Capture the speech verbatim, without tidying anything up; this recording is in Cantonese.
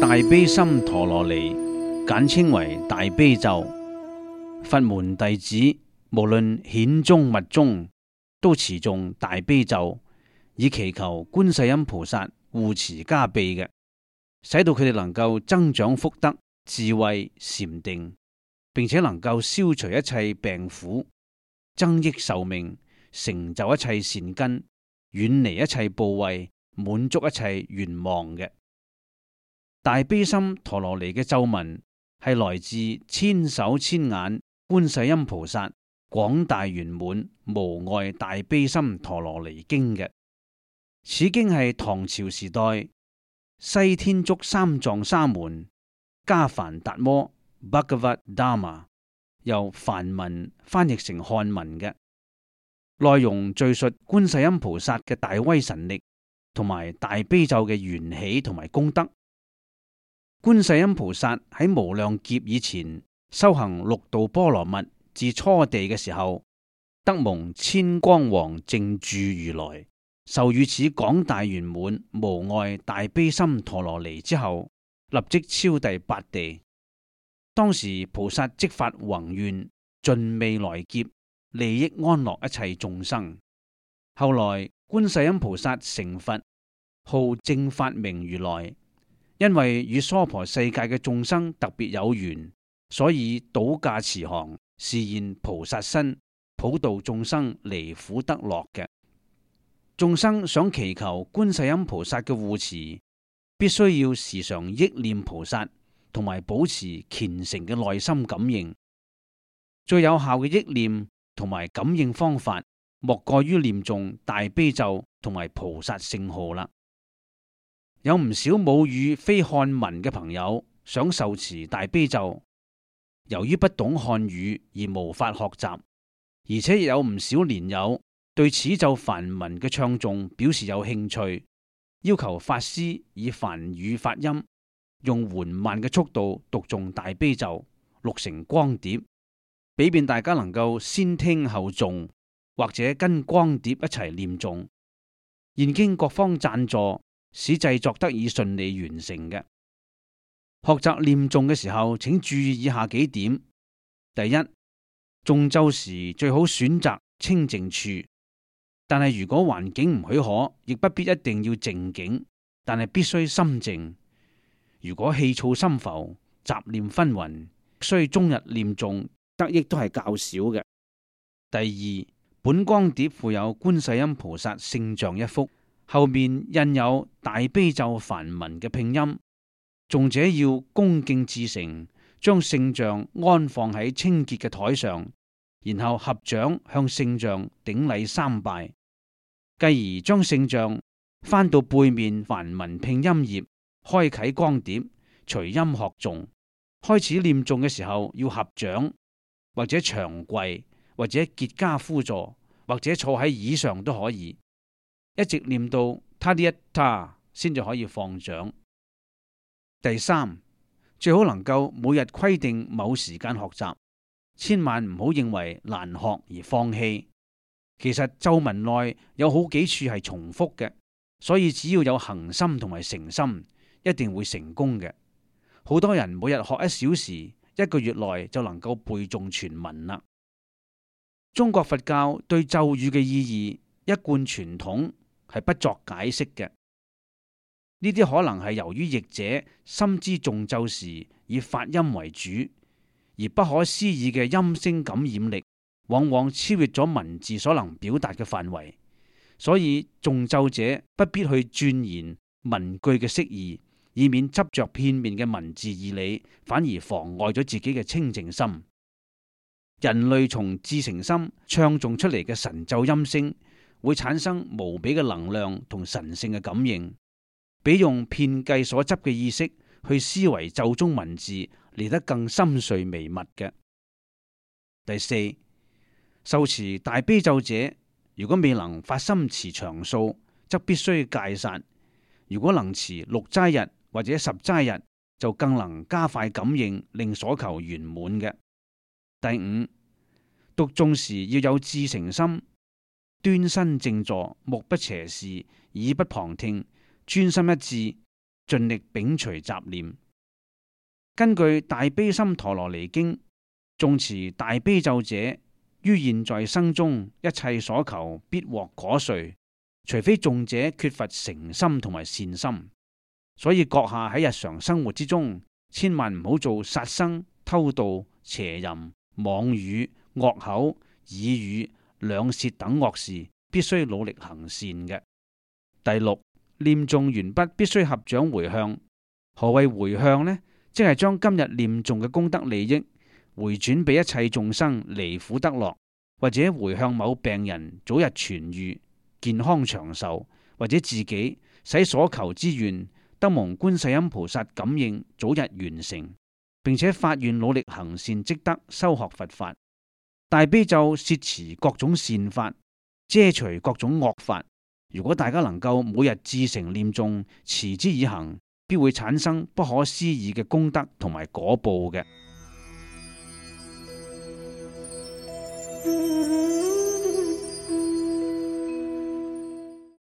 大悲心陀羅尼，簡稱為大悲咒。佛門弟子無論顯宗密宗，都持誦大悲咒，以祈求觀世音菩薩護持加被嘅，使到佢哋能夠增長福德、智慧、禪定，並且能夠消除一切病苦，增益壽命，成就一切善根，遠離一切怖畏，滿足一切願望嘅。大悲心陀羅尼嘅咒文係來自千手千眼觀世音菩薩廣大圓滿無礙大悲心陀羅尼經嘅。此經係唐朝時代西天竺三藏沙門加梵達摩 Bhagavad Dharma 由梵文翻譯成漢文嘅，內容敘述觀世音菩薩嘅大威神力同埋大悲咒嘅緣起同埋功德。觀世音菩薩喺無量劫以前修行六度波羅蜜至初地嘅時候，得蒙千光王靜住如來授予此廣大圓滿無礙大悲心陀羅尼之後，立即超第八地。當時菩薩即發宏願，盡未來劫利益安樂一切眾生。後來觀世音菩薩成佛，號正法明如來。因為與娑婆世界嘅眾生特別有緣，所以倒駕慈航，示現菩薩身，普度眾生離苦得樂嘅。眾生想祈求觀世音菩薩嘅護持，必須要時常憶念菩薩，同埋保持虔誠嘅內心感應。最有效嘅憶念同埋感應方法，莫過於念誦大悲咒同埋菩薩聖號啦。有唔少母語非漢文嘅朋友想受持大悲咒，由於不懂漢語而無法學習，而且亦有唔少蓮友對此咒梵文嘅唱誦表示有興趣，要求法師以梵語發音，用緩慢嘅速度讀誦大悲咒，錄成光碟，俾便大家能夠先聽後誦，或者跟光碟一齊念誦。現經各方贊助，使製作得以順利完成嘅。學習念誦嘅時候，請注意以下幾點：第一，誦咒時最好選擇清靜處，但係如果環境唔許可，亦不必一定要靜境，但係必須心靜。如果氣躁心浮、雜念紛紜，需終日念誦，得益都係較少嘅。第二，本光碟附有觀世音菩薩聖像一幅，後面印有大悲咒梵文嘅拼音，誦者要恭敬至誠，將聖像安放喺清潔嘅台上，然後合掌向聖像頂禮三拜，繼而將聖像翻到背面梵文拼音頁，開啟光碟，隨音學誦。開始念誦嘅時候要合掌，或者長跪，或者結跏趺坐，或者坐喺椅上都可以。一直念到他啲一他先至可以放掌。第三，最好能夠每日規定某時間學習，千萬唔好認為難學而放棄。其實咒文內有好幾處係重複嘅，所以只要有恒心同埋誠心，一定會成功嘅。好多人每日學一小時，一個月內就能夠背誦全文啦。中國佛教對咒語嘅意義一貫傳統係不作解釋嘅，呢啲可能係由於譯者深知誦咒時以發音為主，而不可思議嘅音聲感染力往往超越咗文字所能表達嘅範圍，所以誦咒者不必去鑽研文句嘅釋義，以免執着片面嘅文字義理，反而妨礙咗自己嘅清淨心。人類從至誠心唱誦出嚟嘅神咒音聲，會產生無比嘅能量同神聖嘅感應，比用遍計所執嘅意識去思維咒中文字嚟得更深邃微密嘅。第四，受持大悲咒者，如果未能發心持長數，則必須戒殺；如果能持六齋日或者十齋日，就更能加快感應，令所求圓滿嘅。第五，讀誦時要有至誠心，端身正坐，目不斜視，耳不旁聽，專心一致，盡力摒除雜念。根據《大悲心陀羅尼經》，誦持大悲咒者，於現在生中一切所求必獲果遂，除非誦者缺乏誠心同埋善心。所以閣下喺日常生活之中，千萬唔好做殺生、偷盜、邪淫、妄語、惡口、耳語、兩舌等惡事，必須努力行善嘅。第六，念誦完畢必須合掌回向。何謂回向呢？即係將今日念誦嘅功德利益回轉俾一切眾生離苦得樂，或者回向某病人早日痊癒、健康長壽，或者自己使所求之願得蒙觀世音菩薩感應，早日完成，並且發願努力行善積德，修學佛法。大悲咒攝持各種善法，遮除各種惡法。如果大家能夠每日至誠念誦，持之以恆，必會產生不可思議嘅功德同埋果報嘅。